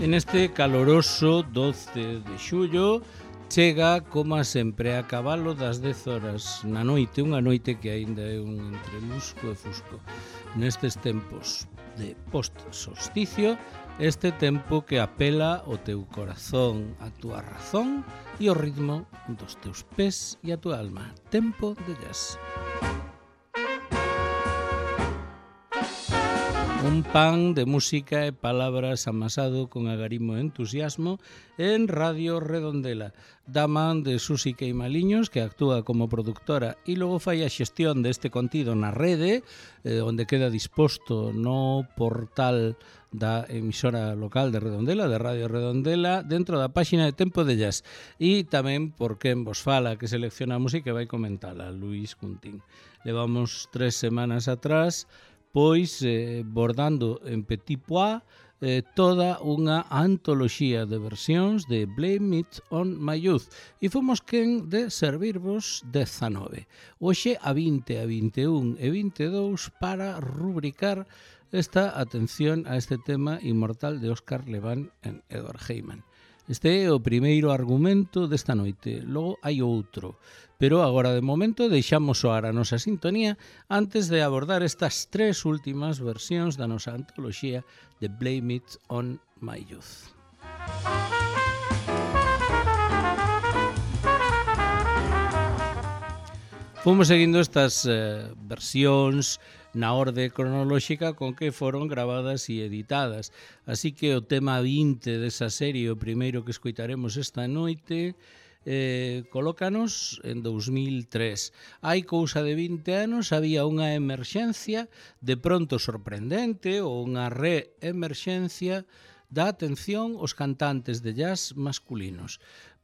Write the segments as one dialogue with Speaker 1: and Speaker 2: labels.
Speaker 1: En este caloroso 12 de xullo chega, como sempre, a cabalo das 10 horas na noite, unha noite que aínda é un entre lusco e fusco. Nestes tempos de post-solsticio, este tempo que apela ao teu corazón, a túa razón e o ritmo dos teus pés e a túa alma. Tempo de jazz. Un pan de música e palabras amasado con agarimo e entusiasmo en Radio Redondela, da man de Susi Queimaliños, que actúa como productora e logo fai a xestión deste contido na rede, onde queda disposto no portal da emisora local de Redondela, de Radio Redondela, dentro da páxina de Tempo de Jazz. E tamén por quen vos fala, que selecciona a música e vai comentala, Luis Cuntín. Levamos 3 semanas atrás pois bordando en Petit Pois toda unha antoloxía de versións de Blame It on My Youth e fomos quen de servirvos 19. Hoxe a 20, a 21 e 22 para rubricar esta atención a este tema inmortal de Óscar Leván en Edward Heyman. Este é o primeiro argumento desta noite, logo hai outro, pero agora de momento deixamos soar a nosa sintonía antes de abordar estas 3 últimas versións da nosa antoloxía de Blame It on My Youth. Fomos seguindo estas versións na orde cronolóxica con que foron gravadas e editadas. Así que o tema 20 desa serie, o primeiro que escoitaremos esta noite, colócanos en 2003. Hai cousa de 20 anos había unha emerxencia de pronto sorprendente ou unha reemerxencia da atención aos cantantes de jazz masculinos.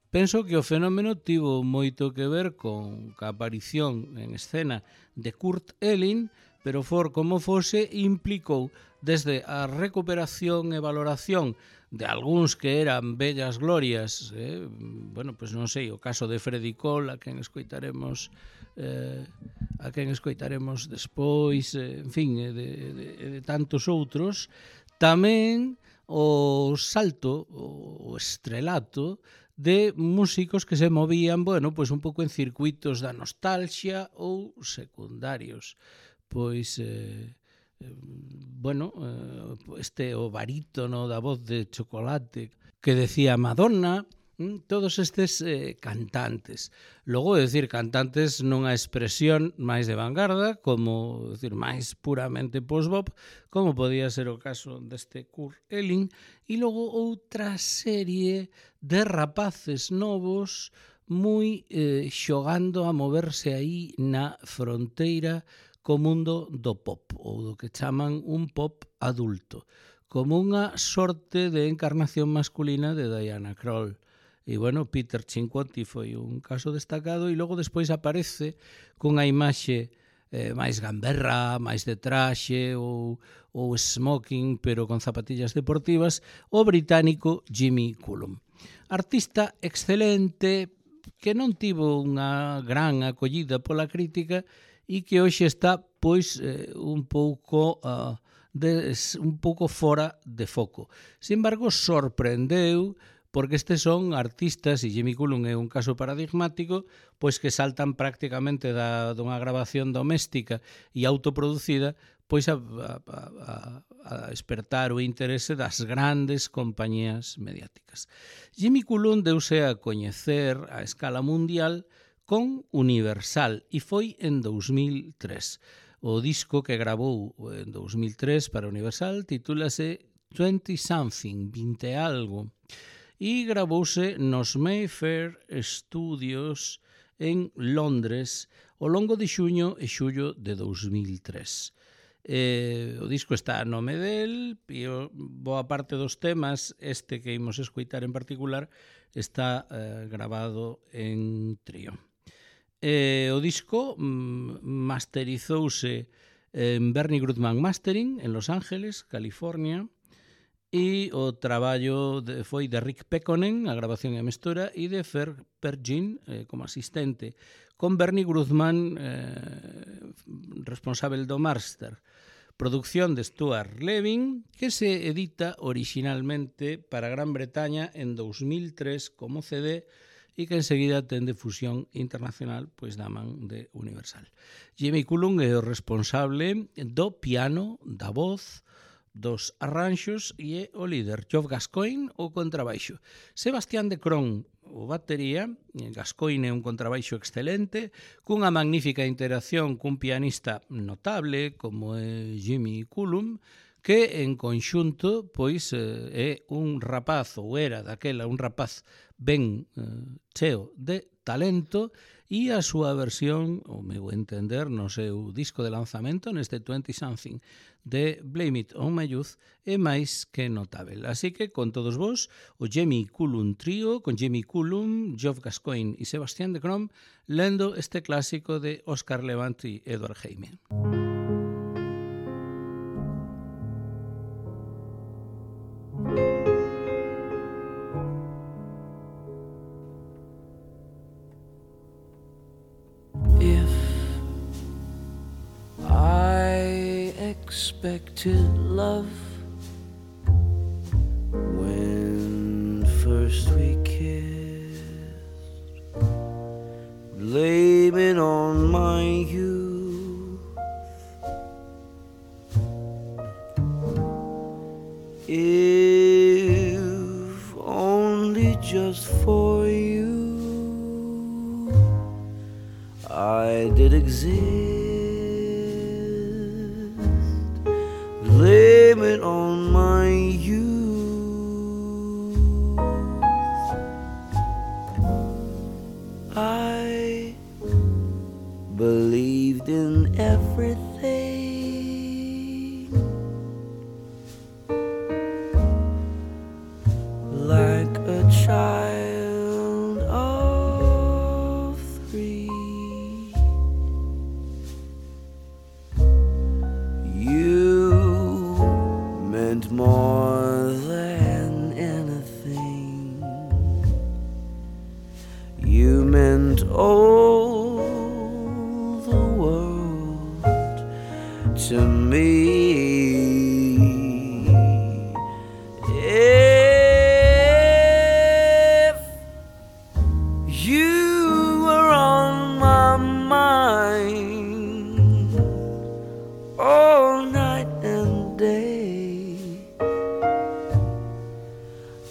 Speaker 1: Penso que o fenómeno tivo moito que ver con a aparición en escena de Kurt Elling, pero for como fose, implicou desde a recuperación e valoración de algúns que eran bellas glorias, bueno, pois non sei, o caso de Freddie Cole, a quen escoitaremos despois, en fin, de tantos outros, tamén o salto, o estrelato de músicos que se movían, bueno, pois un pouco en circuitos da nostalgia ou secundarios. Pois, bueno, este o barítono da voz de chocolate que decía Madonna, todos estes cantantes. Logo, decir, cantantes nunha expresión máis de vanguarda, como, decir, máis puramente post-bop, como podía ser o caso deste Kurt Elling, e logo outra serie de rapaces novos moi xogando a moverse aí na fronteira co mundo do pop, ou do que chaman un pop adulto, como unha sorte de encarnación masculina de Diana Krall. E, bueno, Peter Cinquetti foi un caso destacado e logo despois aparece cunha imaxe máis gamberra, máis de traxe ou smoking, pero con zapatillas deportivas, o británico Jimmy Cullum. Artista excelente que non tivo unha gran acollida pola crítica e que hoxe está, pois, un pouco fora de foco. Sin embargo, sorprendeu porque estes son artistas, e Jimmy Cullum é un caso paradigmático, pois que saltan prácticamente dunha grabación doméstica e autoproducida, pois a despertar o interese das grandes compañías mediáticas. Jimmy Cullum deuse a coñecer a escala mundial con Universal e foi en 2003. O disco que gravou en 2003 para Universal titúlase 20 Something, 20 algo, e gravouse nos Mayfair Studios en Londres ao longo de xuño e xullo de 2003. O disco está a nome del e boa parte dos temas, este que imos escoitar en particular, está gravado en trío. O disco masterizouse en Bernie Grundman Mastering en Los Ángeles, California, e o traballo foi de Rick Pekkonen, a grabación e a mestura, e de Fer Pergin como asistente, con Bernie Grundman responsable do master. producción de Stuart Levin, que se edita originalmente para Gran Bretaña en 2003 como CD e que enseguida ten difusión internacional pois da man de Universal. Jimmy Cullum é o responsable do piano, da voz, dos arranxos e é o líder. Geoff Gascoigne, o contrabaixo. Sebastián de Cron, o batería. Gascoigne é un contrabaixo excelente, cunha magnífica interacción cun pianista notable como é Jimmy Cullum, que en conxunto pois é un rapaz, ou era daquela un rapaz ben cheo de talento, e a súa versión, o meu entender, no seu disco de lanzamento, neste 20-something de Blame It On My Youth, é máis que notável. Así que, con todos vos, o Jimmy Cullum Trio, con Jimmy Cullum, Geoff Gascoigne e Sebastián de Crom, lendo este clásico de Oscar Levant e Edward Heyman.
Speaker 2: Expected love when first we kissed, blaming on my youth. If only just for you I did exist. Blame it on my youth. I believed in everything, like a child of 3. More than anything, you meant all the world to me. If you were on my mind all night and day,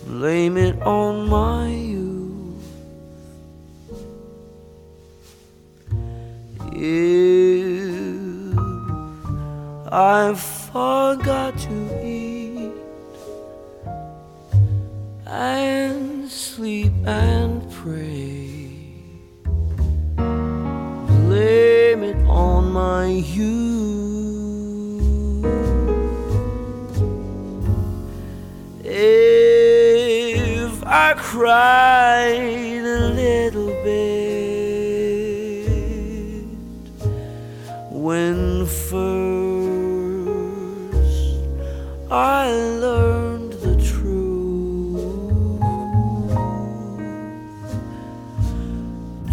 Speaker 2: blame it on my youth. If I forgot to eat and sleep and pray, blame it on my youth. I cried a little bit when first I learned the truth.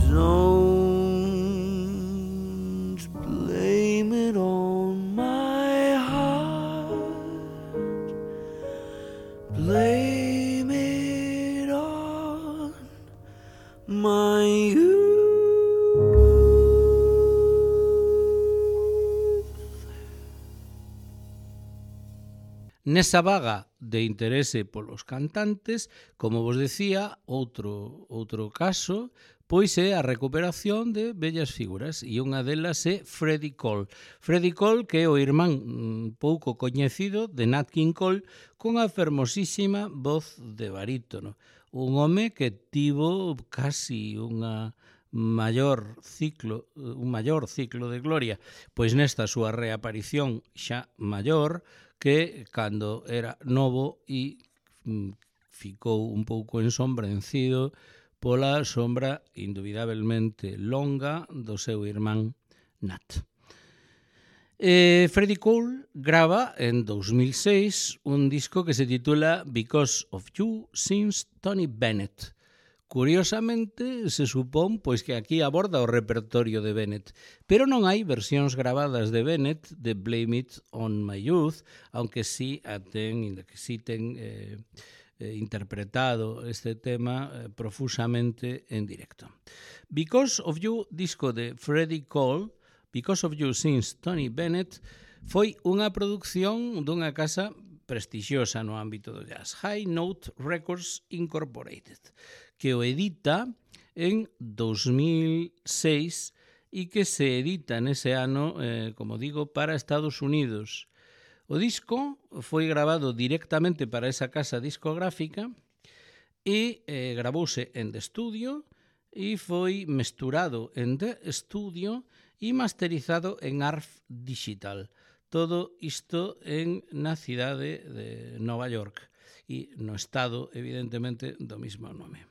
Speaker 2: Don't blame it on my heart. Blame it on my youth.
Speaker 1: Nesa vaga de interese polos cantantes, como vos decía, outro caso, pois é a recuperación de vellas figuras, e unha delas é Freddie Cole. Freddie Cole, que é o irmán pouco coñecido de Nat King Cole, cunha fermosísima voz de barítono. Un home que tivo casi un maior ciclo de gloria, pois nesta súa reaparición xa maior, que cando era novo e ficou un pouco ensombrencido pola sombra indubidablemente longa do seu irmán Nat. Freddie Cole grava en 2006 un disco que se titula Because of You Sings Tony Bennett, Curiosamente, se supón pois que aquí aborda o repertorio de Bennett, pero non hai versións gravadas de Bennett de Blame It on My Youth, aunque sí ten interpretado este tema profusamente en directo. Because of You, disco de Freddie Cole, Because of You sings Tony Bennett, foi unha produción dunha casa prestixiosa no ámbito do jazz, High Note Records Incorporated, que o edita en 2006 e que se edita nese ano, como digo, para Estados Unidos. O disco foi grabado directamente para esa casa discográfica e gravouse en The Studio e foi mesturado en The Studio e masterizado en ARF Digital. Todo isto na cidade de Nova York e no estado, evidentemente, do mesmo nome.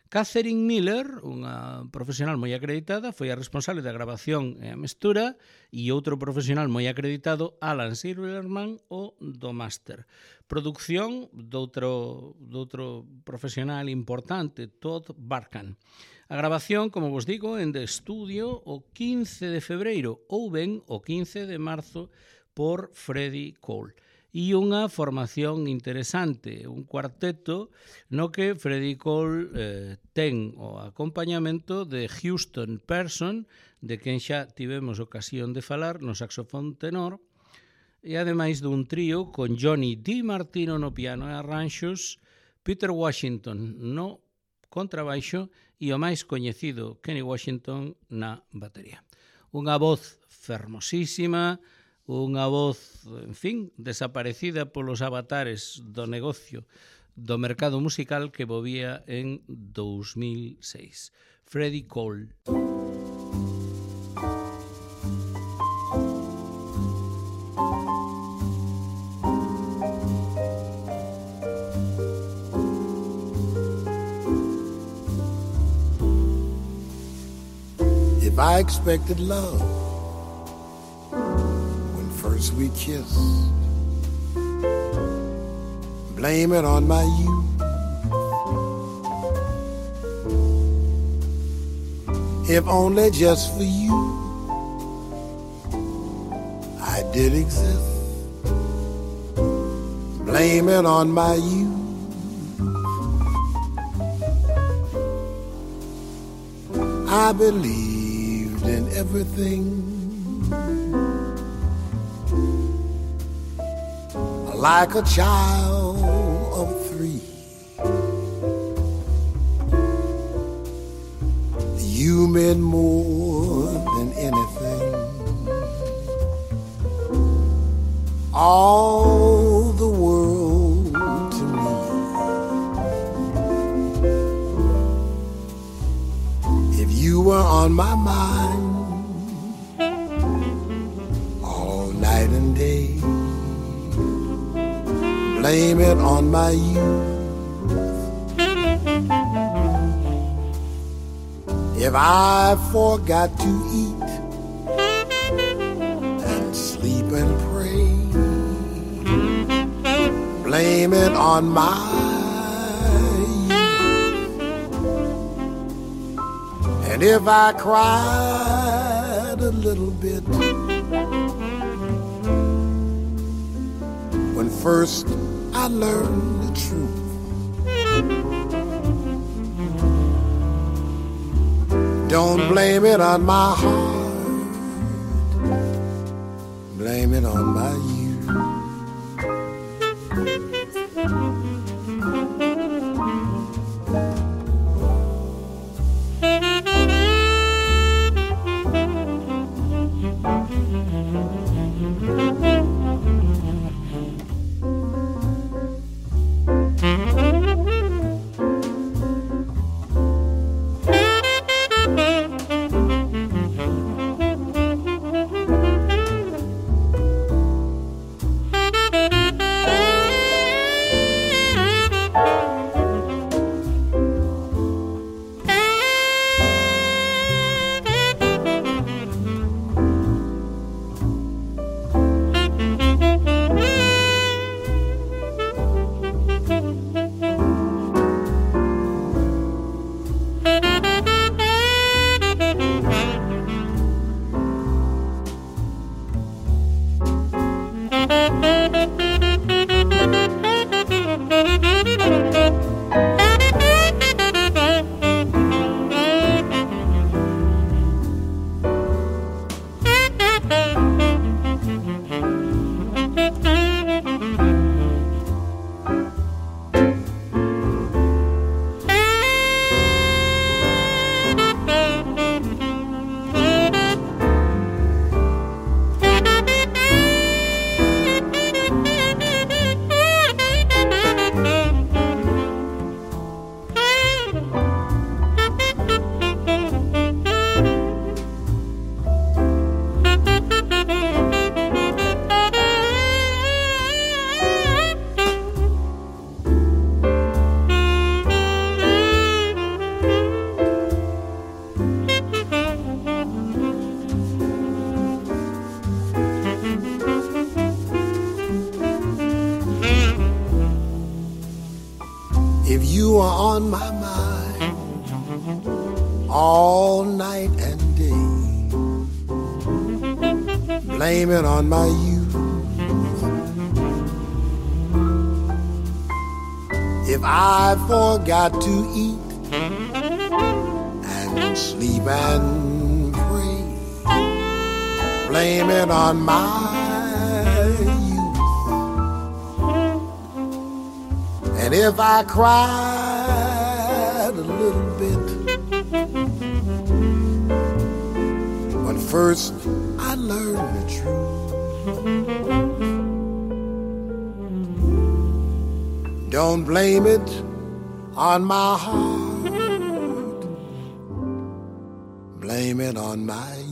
Speaker 1: Catherine Miller, unha profesional moi acreditada, foi a responsable da grabación e a mestura, e outro profesional moi acreditado, Alan Silverman, o do máster. Producción doutro profesional importante, Todd Barkan. A grabación, como vos digo, en The Studio o 15 de febreiro ou ben o 15 de marzo por Freddie Cole. E unha formación interesante, un cuarteto no que Freddie Cole ten o acompañamento de Houston Person, de quen xa tivemos ocasión de falar no saxofón tenor, e ademais dun trío con Johnny DiMartino no piano e arranxos, Peter Washington no contrabaixo e o máis coñecido Kenny Washington na batería. Unha voz fermosísima, unha voz, en fin, desaparecida polos avatares do negocio do mercado musical que movía en 2006. Freddie Cole.
Speaker 3: If I expected love first we kissed, blame it on my youth. If only just for you I did exist, blame it on my youth. I believed in everything, like a child of 3. You meant more than anything. All the world to me. If you were on my mind all night and day, blame it on my youth. If I forgot to eat and sleep and pray, blame it on my youth. And if I cried a little bit when first I learned the truth, don't blame it on my heart, blame it on my youth. If you are on my mind all night and day, blame it on my youth. If I forgot to eat and sleep and pray, blame it on my youth. And if I cried a little bit when first I learned the truth, don't blame it on my heart, blame it on my youth.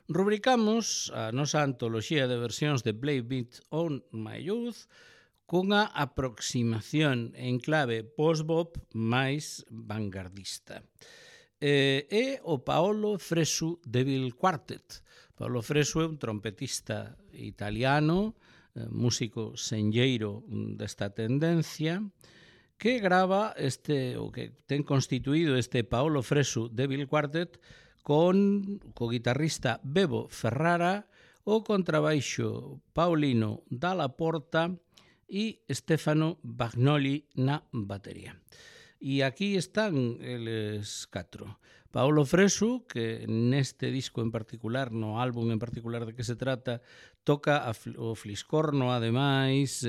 Speaker 1: Rubricamos a nosa antoloxía de versións de Blame It on My Youth cunha aproximación en clave post-bop máis vanguardista. É o Paolo Fresu Devil Quartet. Paolo Fresu é un trompetista italiano, músico senlleiro desta tendencia, que grava o que ten constituído este Paolo Fresu Devil Quartet co guitarrista Bebo Ferrara, o contrabaixo Paulino Dalla Porta e Stefano Bagnoli na batería. E aquí están eles catro. Paolo Fresu, que neste disco en particular, no álbum en particular de que se trata, toca o fliscorno, ademais,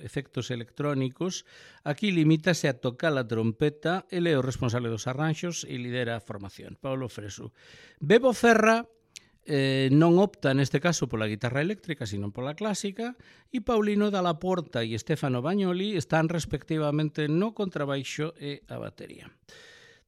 Speaker 1: efectos electrónicos. Aquí limítase a tocar a trompeta, ele é o responsable dos arranxos e lidera a formación. Paolo Fresu. Bebo Ferra non opta neste caso pola guitarra eléctrica, sino pola clásica, e Paulino Dalla Porta e Stefano Bagnoli están respectivamente no contrabaixo e a batería.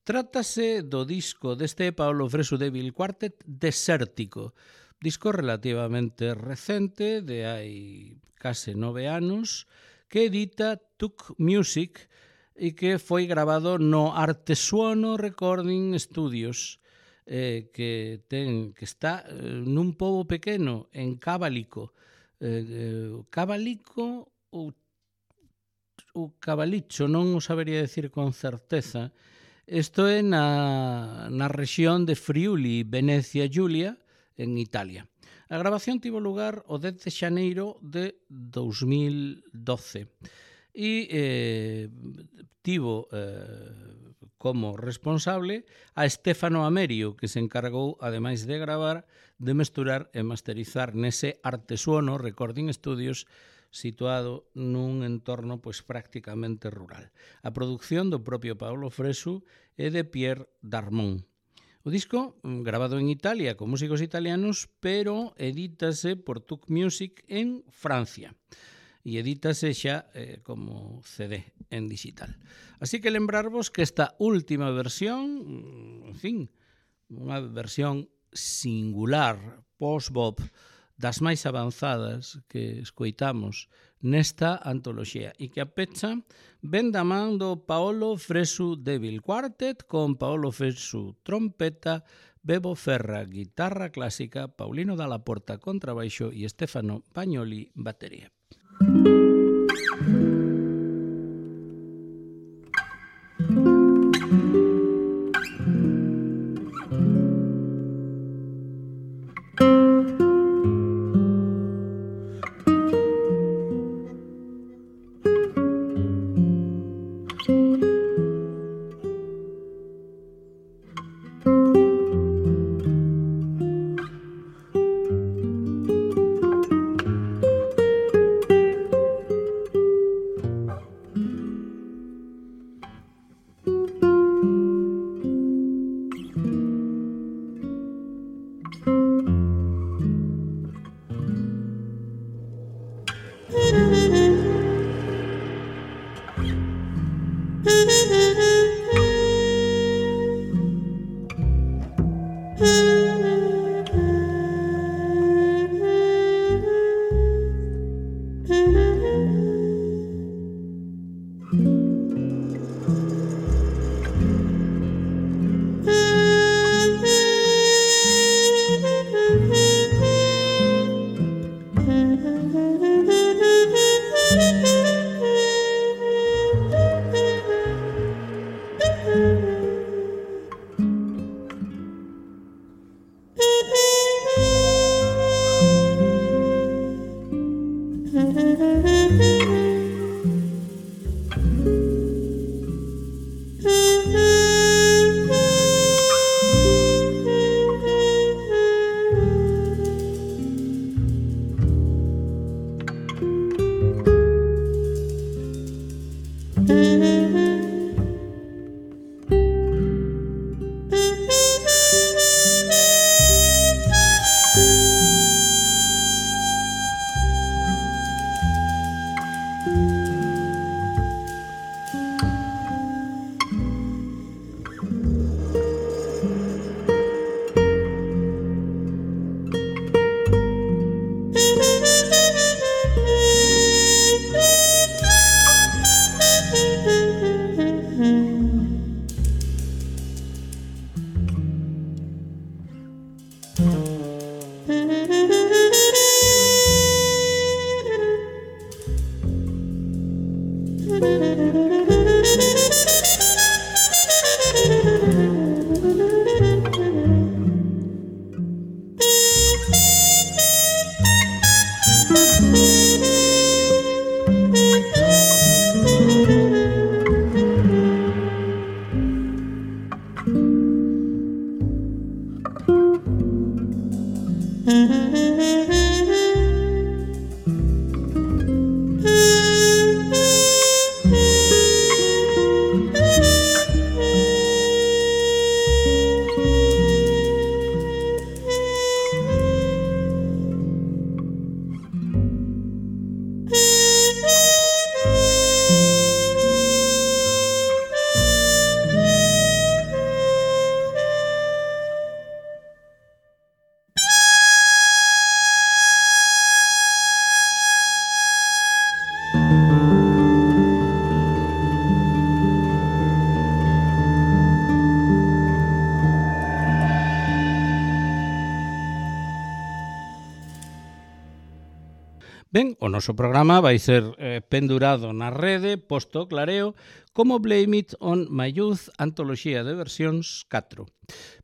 Speaker 1: Trátase do disco deste Paolo Fresu Devil Quartet Desértico, disco relativamente recente, de hai case 9 anos, que edita Tuk Music e que foi grabado no Artesuono Recording Studios, que está nun pobo pequeno en Cabalico. Cabalico ou Cabalicho, non o sabería decir con certeza. Isto é na rexión de Friuli, Venecia Giulia, en Italia. A grabación tivo lugar o 10 de xaneiro de 2012 e tivo como responsable a Stefano Amerio, que se encargou, ademais de gravar, de mesturar e masterizar nese Artesuono Recording Studios situado nun entorno prácticamente rural. A produción do propio Paolo Fresu e de Pierre Darmon. O disco, grabado en Italia con músicos italianos, pero edítase por Tuk Music en Francia. E edítase xa como CD en digital. Así que lembrarvos que esta última versión, en fin, unha versión singular, post-bop, das máis avanzadas que escoitamos nesta antoloxía e que a pecha ven da man do Paolo Fresu Devil Quartet con Paolo Fresu trompeta, Bebo Ferra guitarra clásica, Paulino Dalla Porta contrabaixo e Stefano Bagnoli batería. Ben, o noso programa vai ser pendurado na rede, posto clareo, como Blame It on My Youth, antoloxía de versións 4.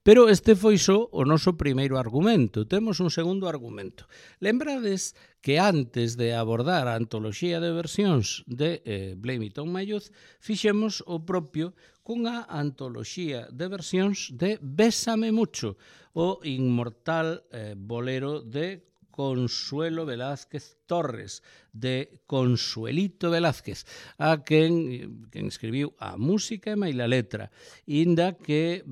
Speaker 1: Pero este foi só o noso primeiro argumento. Temos un segundo argumento. Lembrades que antes de abordar a antoloxía de versións de Blame It on My Youth, fixemos o propio cunha antoloxía de versións de Bésame Mucho, o inmortal bolero de Consuelo Velázquez Torres, de Consuelito Velázquez, a quen escribiu a música e maila letra, inda que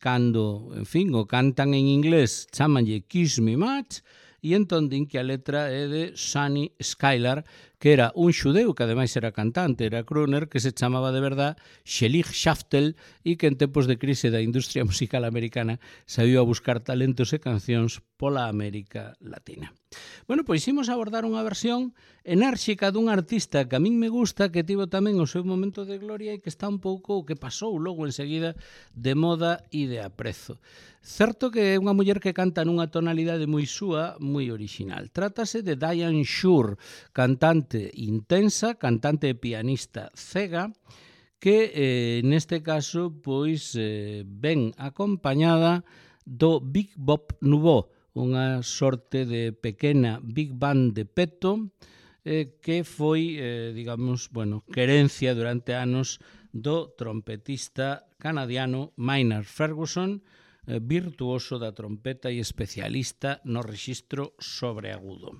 Speaker 1: cando, en fin, o cantan en inglés, chamanlle Kiss Me Much, e entón din que a letra é de Sunny Skylar, que era un xudeu que ademais era cantante, era crooner, que se chamaba de verdad Shelig Shaftel e que en tempos de crise da industria musical americana saiu a buscar talentos e cancións pola América Latina. Bueno, pois imos abordar unha versión enérxica dun artista que a min me gusta, que tivo tamén o seu momento de gloria e que está un pouco o que pasou logo enseguida de moda e de aprezo. Certo que é unha muller que canta nunha tonalidade moi súa, moi original. Trátase de Diane Shure, cantante intensa, cantante e pianista cega, que neste caso pois ven acompañada do Big Bop Nouveau, unha sorte de pequena big band de peto que foi, digamos, querencia durante anos do trompetista canadiano Maynard Ferguson, virtuoso da trompeta e especialista no rexistro sobreagudo.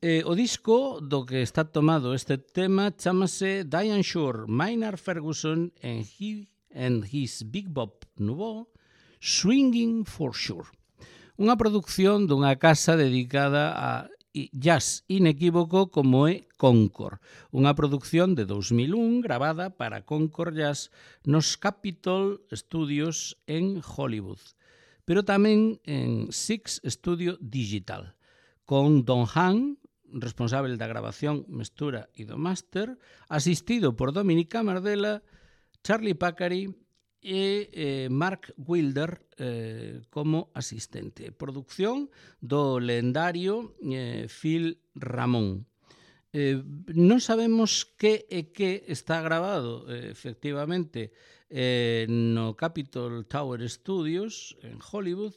Speaker 1: O disco do que está tomado este tema chamase Diane Shure, Maynard Ferguson and his Big Bop Nouveau, Swinging for Sure. Unha produción dunha casa dedicada a jazz inequívoco como é Concord, unha produción de 2001 gravada para Concord Jazz nos Capitol Studios en Hollywood, pero tamén en Six Studio Digital, con Don Hahn, responsable da grabación, mestura e do máster, asistido por Dominic Camardella, Charlie Pacary e Mark Wilder como asistente. Producción do lendario Phil Ramone. Non sabemos que é que está grabado efectivamente no Capitol Tower Studios en Hollywood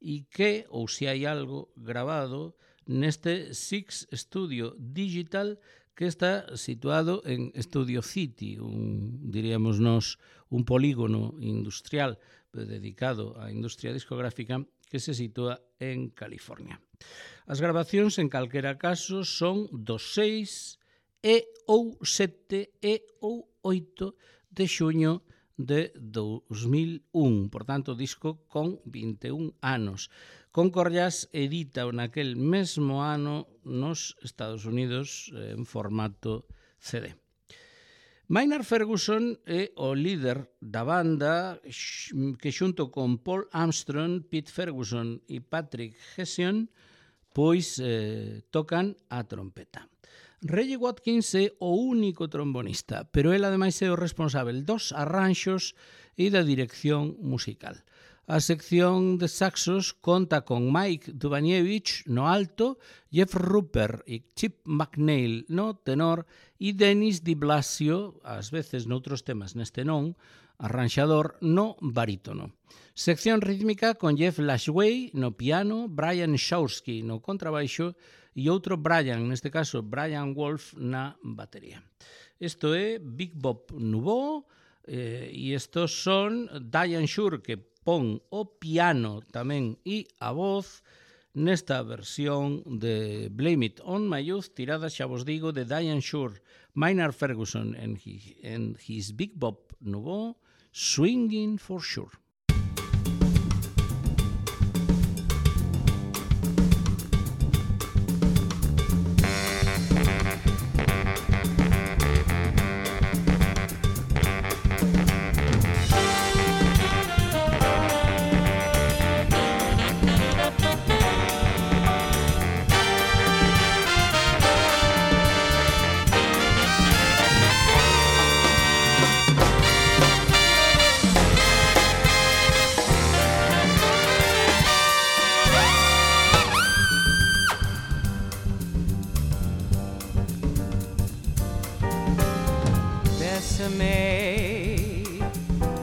Speaker 1: e que, ou se hai algo grabado neste Six Studio Digital que está situado en Studio City, diríamos nós, un polígono industrial dedicado á industria discográfica que se sitúa en California. As grabacións, en calquera caso, son dos 6 e ou 7 e ou 8 de xuño de 2001, por tanto, disco con 21 anos. Concord Jazz edita naquel mesmo ano nos Estados Unidos en formato CD. Maynard Ferguson é o líder da banda que xunto con Paul Armstrong, Pete Ferguson e Patrick Hessian pois tocan a trompeta. Reggie Watkins é o único trombonista, pero ele ademais é o responsável dos arranxos e da dirección musical. A sección de saxos conta con Mike Dubaniewicz no alto, Jeff Rupert e Chip McNeil no tenor e Dennis Di Blasio, ás veces noutros temas neste non, arranxador no barítono. Sección rítmica con Jeff Lashway no piano, Brian Shawsky no contrabaixo e outro Brian, neste caso Brian Wolf, na batería. Isto é Big Bob Nouveau e estos son Diane Shure, que pon o piano tamén e a voz nesta versión de Blame It on My Youth, tirada, xa vos digo, de Diane Shure, Maynard Ferguson and his Big Bob Nouveau, Swinging for Sure.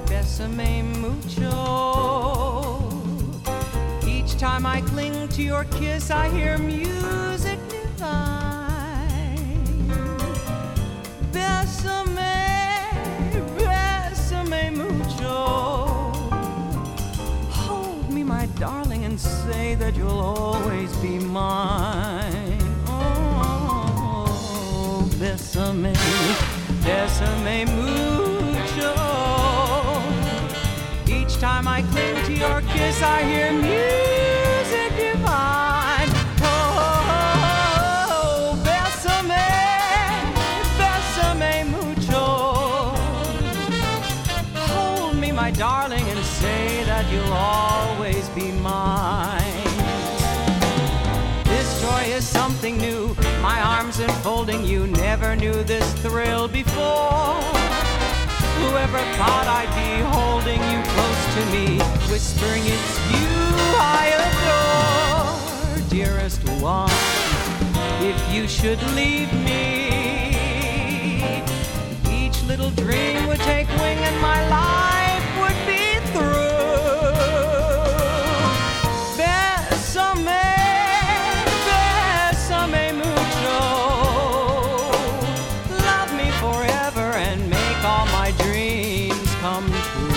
Speaker 4: Bésame mucho. Each time I cling to your kiss, I hear music divine. Bésame, bésame mucho. Hold me, my darling, and say that you'll always be mine. Oh, bésame, bésame mucho. Each time I cling to your kiss, I hear music divine. Oh, bésame, bésame mucho. Hold me, my darling, and say that you'll always be mine. This joy is something new. My arms enfolding you, never knew this thrill before. Whoever thought I'd be holding you close to me, whispering it's you I adore. Dearest one, if you should leave me, each little dream would take wing and my life would be through. Bésame, bésame mucho. Love me forever and make all my dreams come true.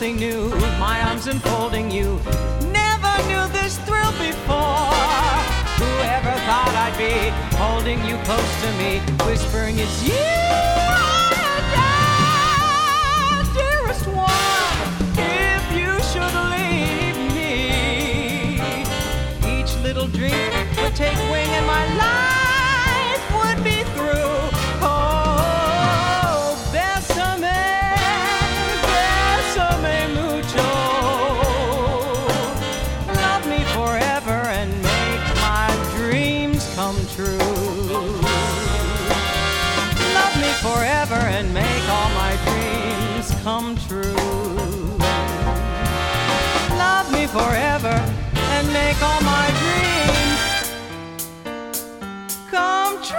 Speaker 4: New, my arms enfolding close to me, whispering it's you, dearest one. If you should leave me, each little dream would take wing and my life would be through. Oh, bésame, bésame mucho. Love me forever and make my dreams come true. Love me forever and make all my dreams come true. Love me forever and make all my dreams come true.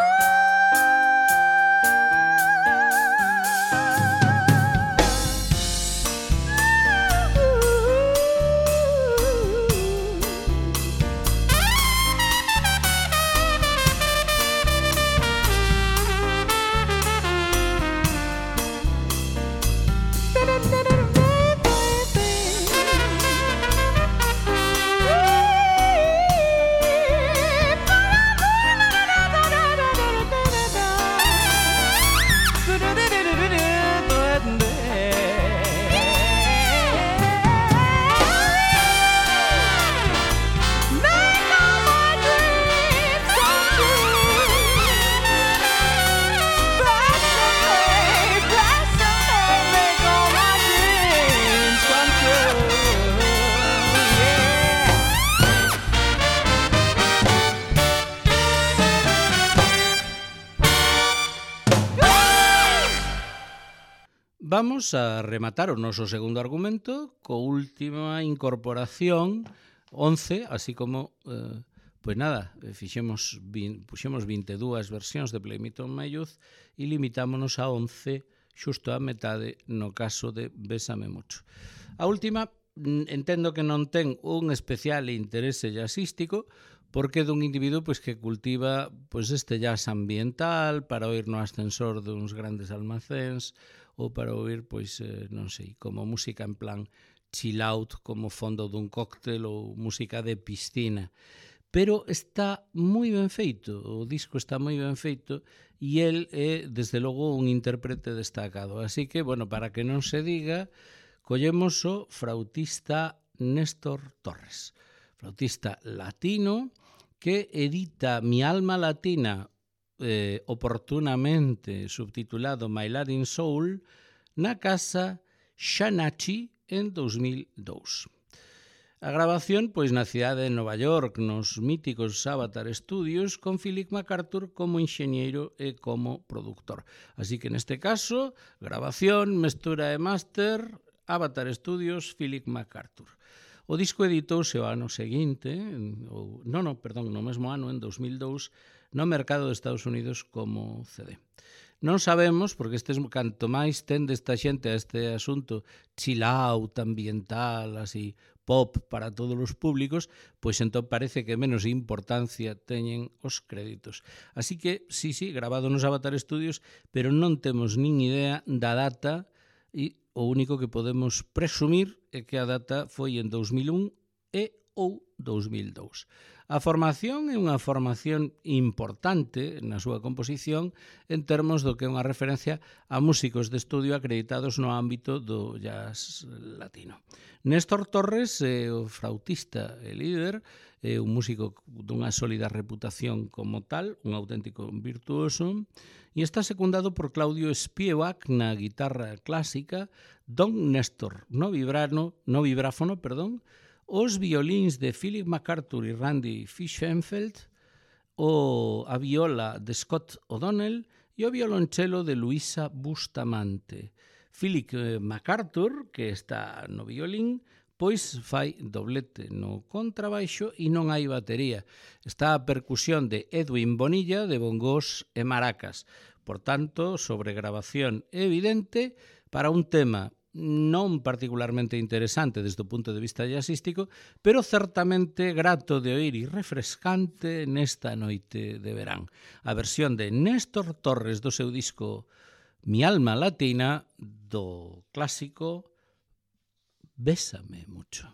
Speaker 1: Vamos a rematar o noso segundo argumento co última incorporación 11, así como pois nada, puxemos 22 versións de Play Me On My Youth e limitámonos a 11, xusto a metade no caso de Bésame Mucho. A última entendo que non ten un especial interese jazzístico porque é dun individuo pois que cultiva pois este jazz ambiental para oír no ascensor duns grandes almacéns ou para oír, pois, non sei, como música en plan chill out, como fondo dun cóctel ou música de piscina. Pero está moi ben feito, o disco está moi ben feito e el é, desde logo, un intérprete destacado. Así que, bueno, para que non se diga, collemos o flautista Néstor Torres, flautista latino que edita Mi Alma Latina, oportunamente subtitulado My Latin Soul, na casa Shanachi en 2002. A grabación, pois, na cidade de Nova York, nos míticos Avatar Studios, con Philip MacArthur como enxeñeiro e como productor. Así que, neste caso, grabación, mestura e máster, Avatar Studios, Philip MacArthur. O disco editouse o ano seguinte, no mesmo ano, en 2002, no mercado de Estados Unidos como CD. Non sabemos, porque canto máis tende esta xente a este asunto chill out, ambiental, así, pop para todos os públicos, pois entón parece que menos importancia teñen os créditos. Así que, sí, grabado nos Avatar Studios, pero non temos nin idea da data e o único que podemos presumir é que a data foi en 2001 e ou 2002. A formación é unha formación importante na súa composición en termos do que é unha referencia a músicos de estudio acreditados no ámbito do jazz latino. Néstor Torres é o flautista e líder, é un músico dunha sólida reputación como tal, un auténtico virtuoso, e está secundado por Claudio Spiewak na guitarra clásica, Don Néstor no vibráfono, os violíns de Philip MacArthur e Randy Fischenfeld, a viola de Scott O'Donnell e o violonchelo de Luisa Bustamante. Philip MacArthur, que está no violín, pois fai doblete no contrabaixo e non hai batería. Está a percusión de Edwin Bonilla de bongos e maracas. Por tanto, sobregrabación evidente para un tema non particularmente interesante desde o punto de vista jazzístico, pero certamente grato de oír e refrescante nesta noite de verán. A versión de Néstor Torres do seu disco Mi Alma Latina, do clásico Bésame Mucho.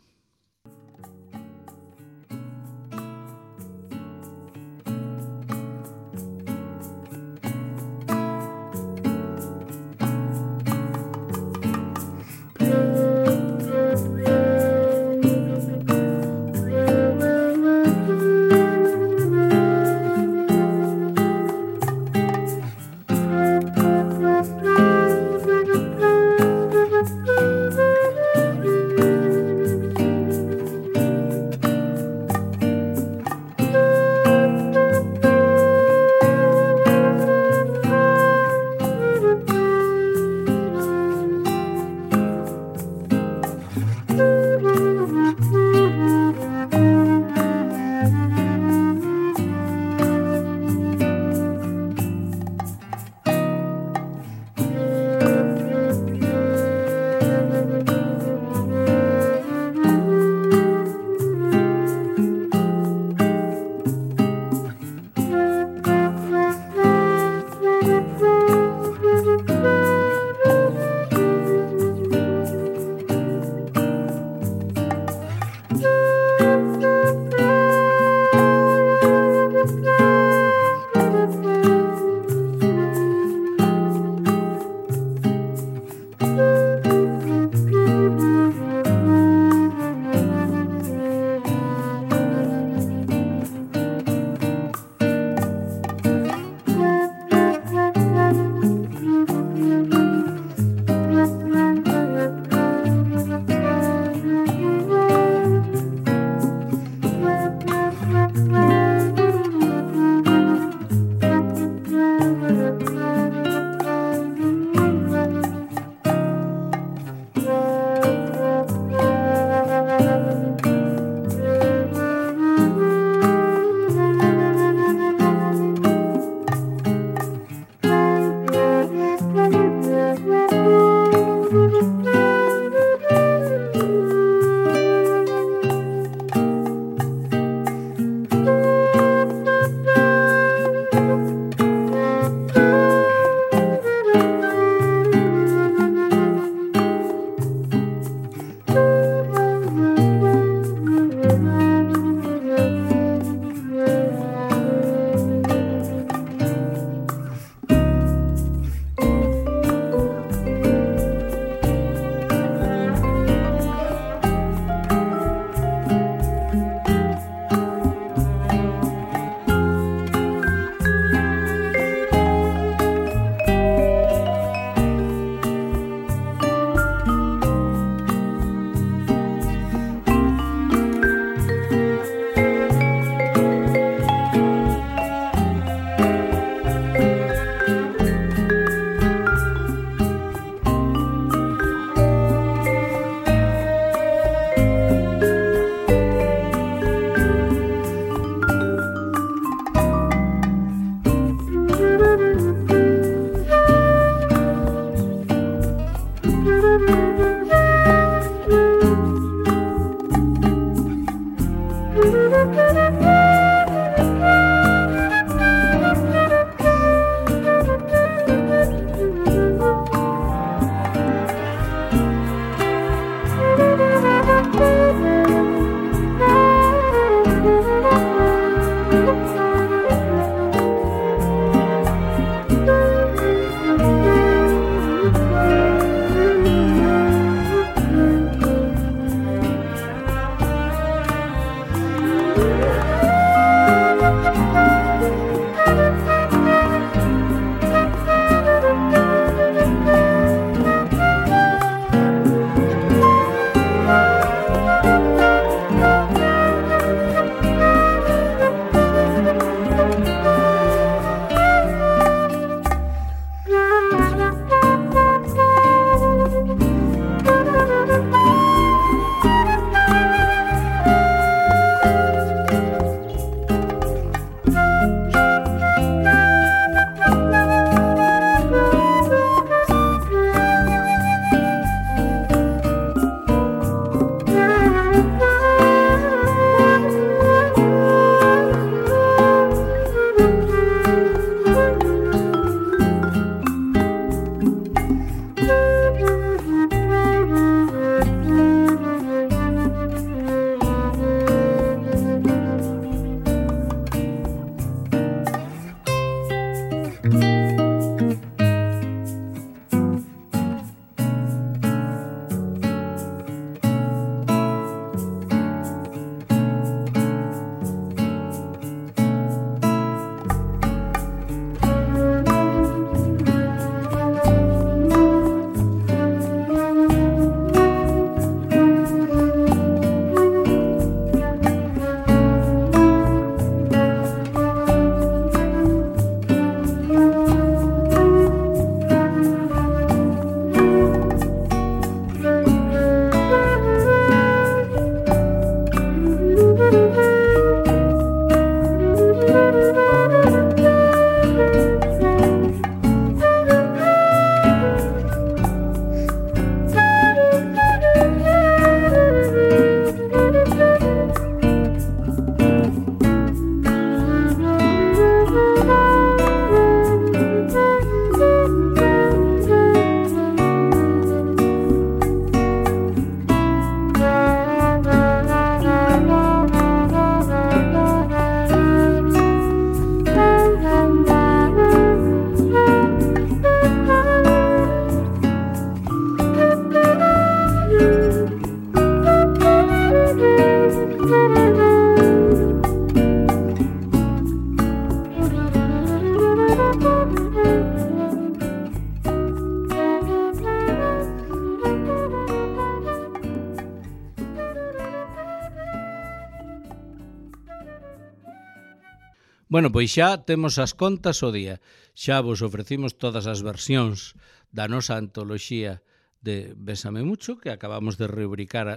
Speaker 1: Bueno, pois xa temos as contas o día. Xa vos ofrecimos todas as versións da nosa antoloxía de Bésame Mucho, que acabamos de rubricar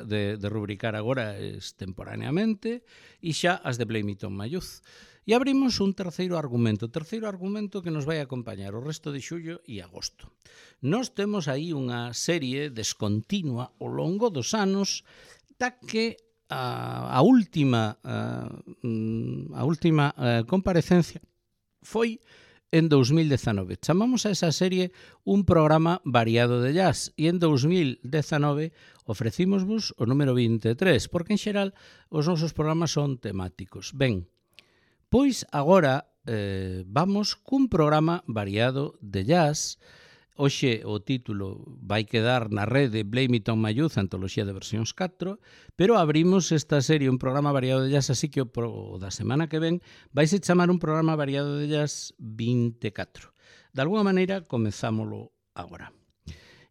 Speaker 1: agora extemporaneamente, e xa as de Blame It on My Youth. E abrimos un terceiro argumento que nos vai acompañar o resto de xullo e agosto. Nós temos aí unha serie descontinua ao longo dos anos da que a última comparecencia foi en 2019. Chamamos a esa serie un programa variado de jazz e en 2019 ofrecímosvos o número 23, porque en xeral os nosos programas son temáticos. Ben, pois agora vamos cun programa variado de jazz. Hoxe o título vai quedar na rede Blame It on My Youth, antoloxía de versións 4, pero abrimos esta serie, un programa variado de jazz, así que o da semana que ven vaise chamar un programa variado de jazz 24. De alguna maneira, comezámolo agora.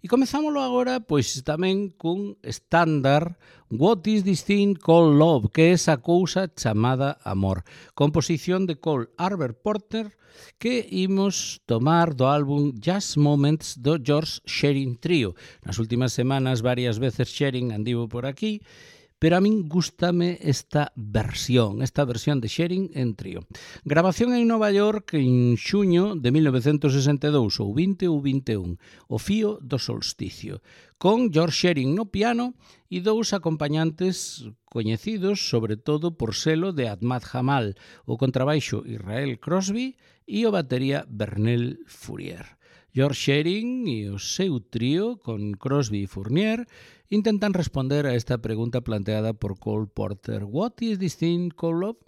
Speaker 1: E comezámoslo agora, pois tamén cun estándar, What is this thing called love, que é esa cousa chamada amor. Composición de Cole Arbor Porter, que imos tomar do álbum Jazz Moments do George Shearing Trio. Nas últimas semanas varias veces Shearing andivo por aquí, pero a min gústame esta versión de Sharing en trío. Grabación en Nova York en xuño de 1962, ou 20 ou 21, o fío do solsticio, con George Shearing no piano e dous acompañantes coñecidos, sobre todo por selo de Ahmad Jamal, o contrabaixo Israel Crosby e o batería Vernel Fourier. George Shearing e o seu trío, con Crosby e Fournier, intentan responder a esta pregunta planteada por Cole Porter. What is this thing called love?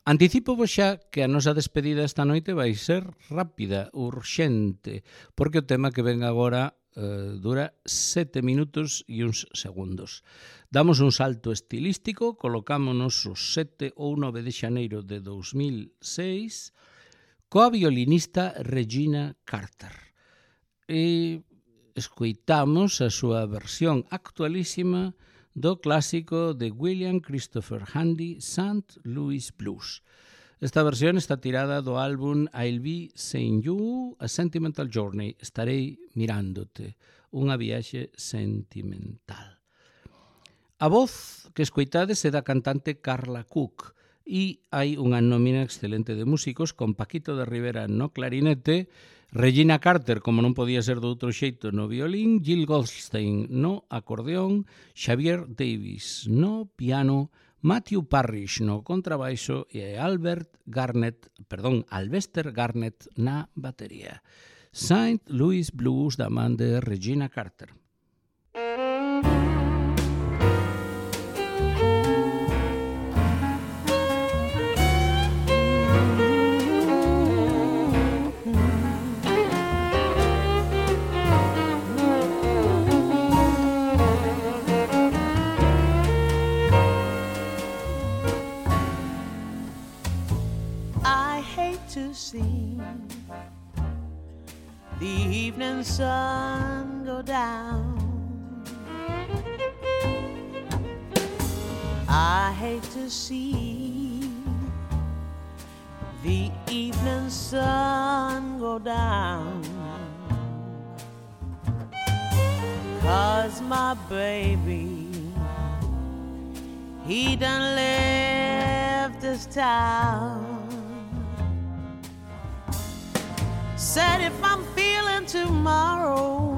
Speaker 1: Anticipo vos xa que a nosa despedida esta noite vai ser rápida, urxente, porque o tema que ven agora dura 7 minutos e uns segundos. Damos un salto estilístico, colocámonos os 7 ou 9 de xaneiro de 2006 coa violinista Regina Carter. E escoitamos a súa versión actualísima do clásico de William Christopher Handy, St. Louis Blues. Esta versión está tirada do álbum I'll Be Seeing You, A Sentimental Journey, Estarei mirándote, unha viaxe sentimental. A voz que escoitades é da cantante Carla Cook e hai unha nómina excelente de músicos con Paquito de Rivera no clarinete, Regina Carter, como non podía ser do outro xeito, no violín, Jill Goldstein no acordeón, Xavier Davis no piano, Matthew Parrish no contrabaixo e Alvester Garnett na batería. St. Louis Blues da man de Regina Carter.
Speaker 5: See the evening sun go down. I hate to see the evening sun go down, 'cause my baby, he done left this town. Said if I'm feeling tomorrow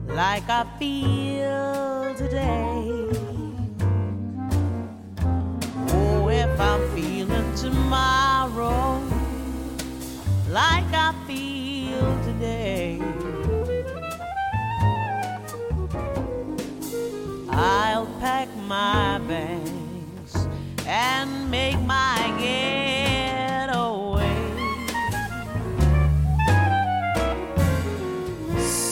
Speaker 5: like I feel today, oh, if I'm feeling tomorrow like I feel today, I'll pack my bags and make my getaway.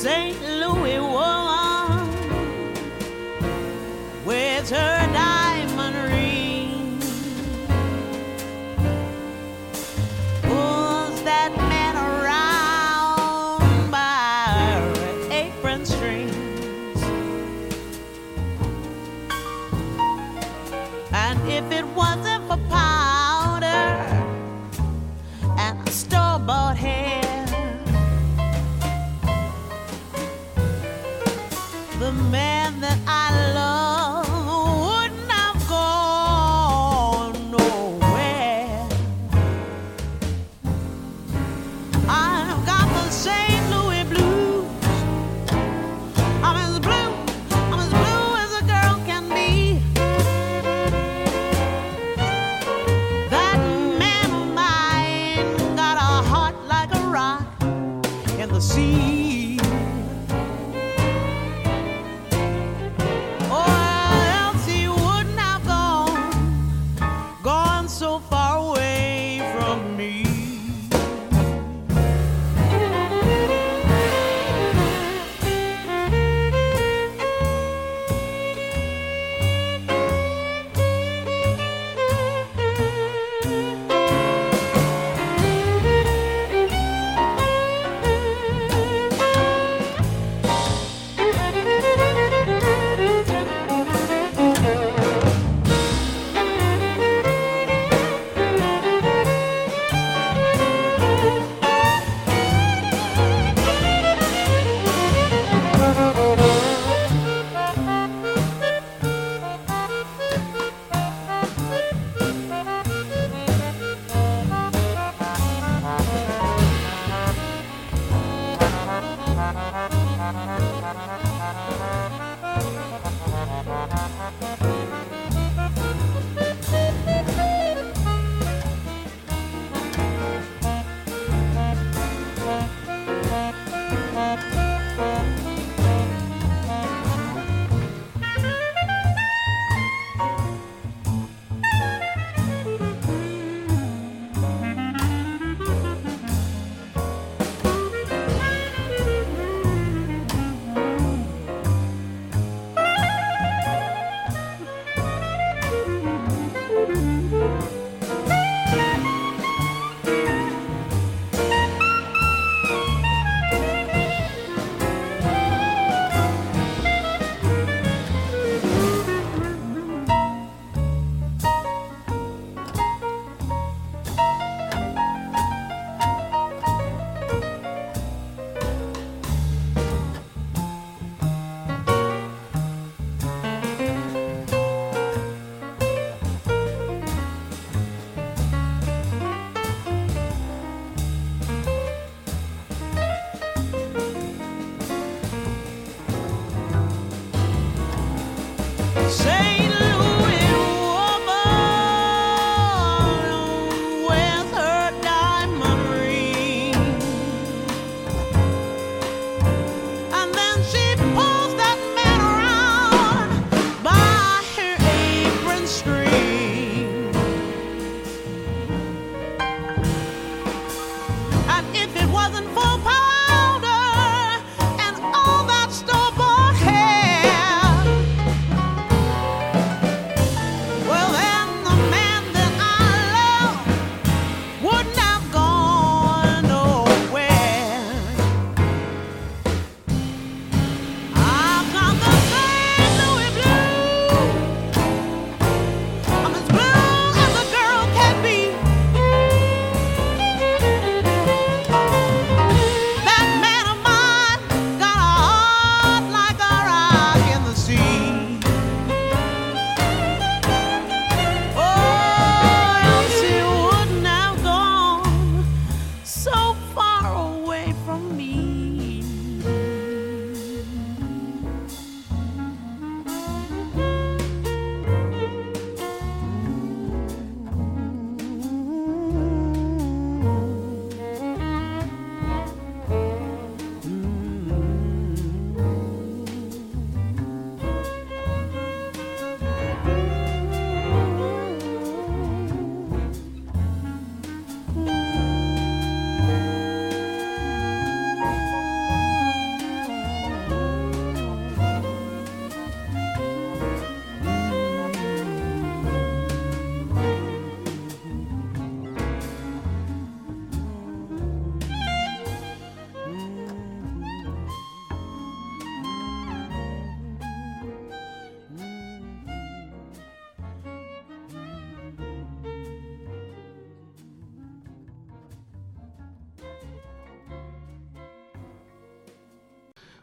Speaker 5: St. Louis woman with her diamond ring pulls that man around by her apron strings, and if it wasn't for power,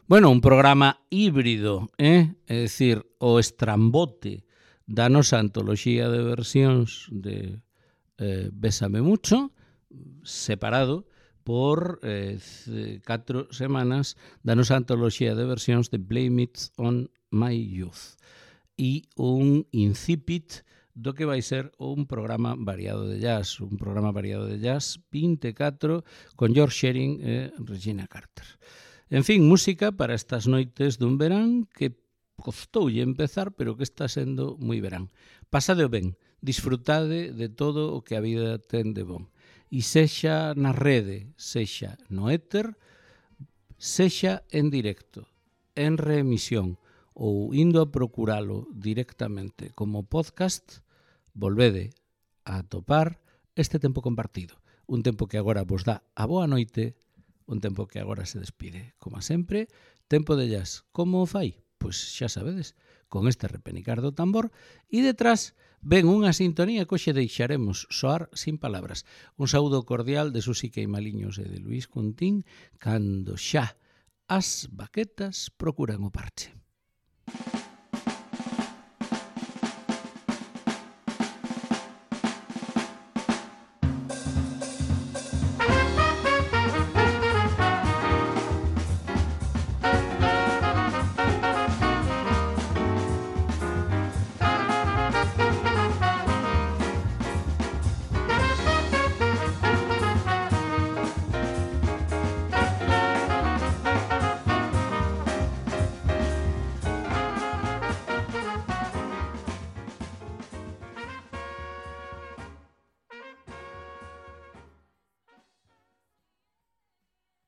Speaker 1: Bueno, un programa híbrido, é dicir, o estrambote da nosa antoloxía de versións de Bésame Mucho, separado por 4 semanas da nosa antoloxía de versións de Blame It on My Youth e un incipit do que vai ser un programa variado de jazz, 24 con George Shearing e Regina Carter. En fin, música para estas noites dun verán que costoulle empezar, pero que está sendo moi verán. Pasadeo ben, disfrutade de todo o que a vida ten de bon. E sexa na rede, sexa no éter, sexa en directo, en reemisión ou indo a procuralo directamente como podcast, volvede a atopar este tempo compartido. Un tempo que agora vos dá a boa noite, un tempo que agora se despide. Como sempre, tempo de jazz. Como o fai? Pois xa sabedes, con este repenicar do tambor e detrás ven unha sintonía que hoxe deixaremos soar sin palabras. Un saúdo cordial de Susi Queimaliños e de Luís Cuntín cando xa as baquetas procuran o parche.